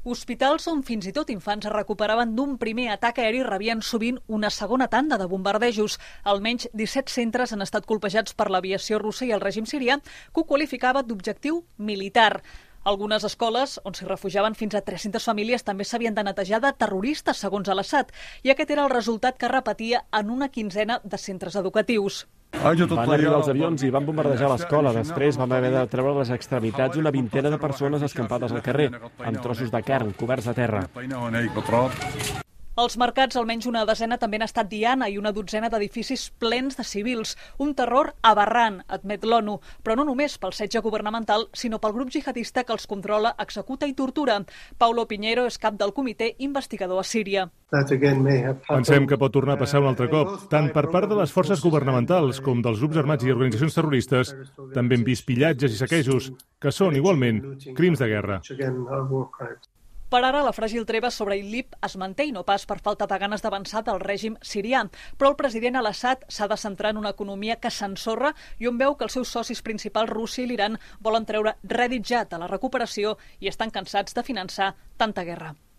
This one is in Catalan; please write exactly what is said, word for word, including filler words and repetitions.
Hospitals on fins i tot infants es recuperaven d'un primer atac aeri rebien sovint una segona tanda de bombardejos. Almenys disset centres han estat colpejats per l'aviació russa i el règim sirià, que ho qualificava d'objectiu militar. Algunes escoles, on s'hi refugiaven fins a tres-centes famílies, també s'havien de netejar de terroristes, segons Al-Assad, i aquest era el resultat que repetia en una quinzena de centres educatius. Van arribar els avions i van bombardejar l'escola. Després vam haver de treure les extremitats una vintena de persones escampades al carrer, amb trossos de carn coberts de terra. Als mercats, almenys una desena també han estat diana i una dotzena d'edificis plens de civils. Un terror aberrant, admet l'ONU, però no només pel setge governamental, sinó pel grup jihadista que els controla, executa i tortura. Paulo Piñero és cap del comitè investigador a Síria. Pensem que pot tornar a passar un altre cop, tant per part de les forces governamentals com dels grups armats i organitzacions terroristes. També hem vist pillatges i saquejos, que són, igualment, crims de guerra. Per ara, la fràgil treva sobre Idlib es manté i no pas per falta de ganes d'avançar del règim sirià. Però el president Al-Assad s'ha de centrar en una economia que s'ensorra i on veu que els seus socis principals, Rússia i l'Iran, volen treure rèdit ja de la recuperació i estan cansats de finançar tanta guerra.